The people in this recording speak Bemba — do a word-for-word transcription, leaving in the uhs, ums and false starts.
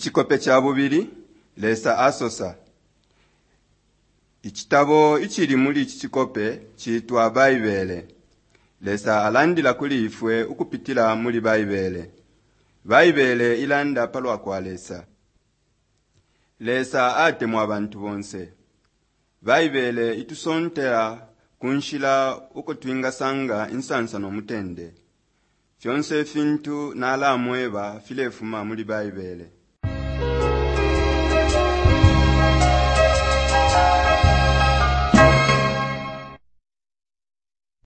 Icikope ca bubili, Lesa asosa. Icitabo icili muli ici cikope ciitwa Baibele. Lesa alandila kuli ifwe ukupitila muli Baibele. Baibele ilanda palwa kwa Lesa. Lesa atemwa abantu bonse. Baibele itusontela ku nshila uko twingasanga insansa no mutende. Fyonse ifintu nalamweba filefuma muli Baibele.